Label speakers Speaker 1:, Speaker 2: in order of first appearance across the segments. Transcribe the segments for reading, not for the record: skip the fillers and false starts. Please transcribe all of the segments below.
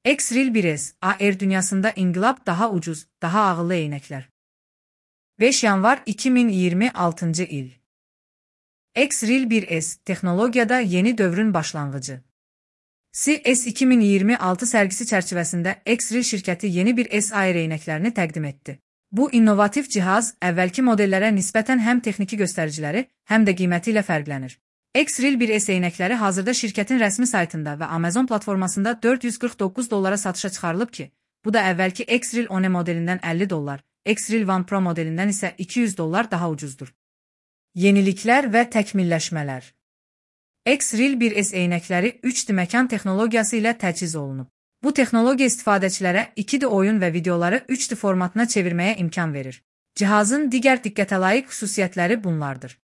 Speaker 1: X-Reel 1S, AR dünyasında inqilab daha ucuz, daha ağıllı eynəklər. 5 yanvar 2026 il. X-Reel 1S, texnologiyada yeni dövrün başlanğıcı. CES 2026 sərgisi çərçivəsində X-Reel şirkəti yeni bir S-AR eynəklərini təqdim etdi. Bu innovativ cihaz əvvəlki modellərə nisbətən həm texniki göstəriciləri, həm də qiyməti ilə fərqlənir. X-Reel 1S eynəkləri hazırda şirkətin rəsmi saytında və Amazon platformasında $449 satışa çıxarılıb ki, bu da əvvəlki X-Reel One modelindən $50, X-Reel One Pro modelindən isə $200 daha ucuzdur. Yeniliklər və təkmilləşmələr. X-Reel 1S eynəkləri 3D məkan texnologiyası ilə təchiz olunub. Bu texnologiya istifadəçilərə 2D oyun və videoları 3D formatına çevirməyə imkan verir. Cihazın digər diqqətəlayiq xüsusiyyətləri bunlardır.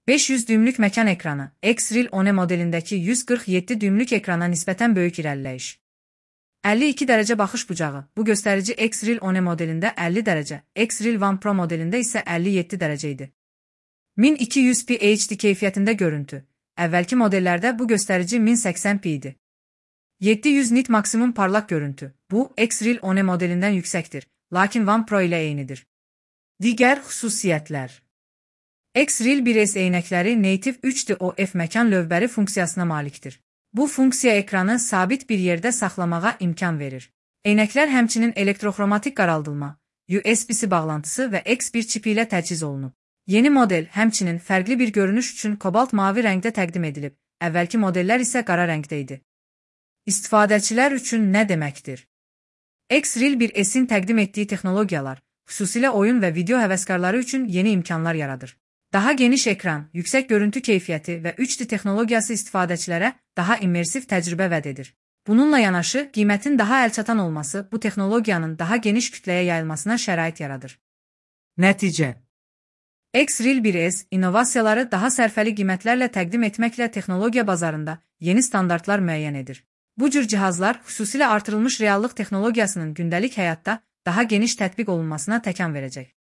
Speaker 1: 500 düymlük məkan ekranı, X-Reel One modelindəki 147 düymlük ekrana nisbətən böyük irəliləyiş. 52 dərəcə baxış bucağı, bu göstərici X-Reel One modelində 50 dərəcə, X-Reel One Pro modelində isə 57 dərəcə idi. 1200p HD keyfiyyətində görüntü, əvvəlki modellərdə bu göstərici 1080p idi. 700 nit maksimum parlaq görüntü, bu X-Reel One modelindən yüksəkdir, lakin One Pro ilə eynidir. Digər xüsusiyyətlər. X-Reel 1S eynəkləri Native 3D OF məkan lövbəri funksiyasına malikdir. Bu funksiya ekranı sabit bir yerdə saxlamağa imkan verir. Eynəklər həmçinin elektroxromatik qaraldılma, USB-C bağlantısı və X1 çipi ilə təchiz olunub. Yeni model həmçinin fərqli bir görünüş üçün kobalt mavi rəngdə təqdim edilib, əvvəlki modellər isə qara rəngdə idi. İstifadəçilər üçün nə deməkdir? X-Reel 1S-in təqdim etdiyi texnologiyalar, xüsusilə oyun və video həvəskarları üçün yeni imkanlar yaradır. Daha geniş ekran, yüksək görüntü keyfiyyəti və 3D texnologiyası istifadəçilərə daha immersiv təcrübə vəd edir. Bununla yanaşı, qiymətin daha əlçatan olması bu texnologiyanın daha geniş kütləyə yayılmasına şərait yaradır. Nəticə. X-Reel 1S innovasiyaları daha sərfəli qiymətlərlə təqdim etməklə texnologiya bazarında yeni standartlar müəyyən edir. Bu cür cihazlar xüsusilə artırılmış reallıq texnologiyasının gündəlik həyatda daha geniş tətbiq olunmasına təkan verəcək.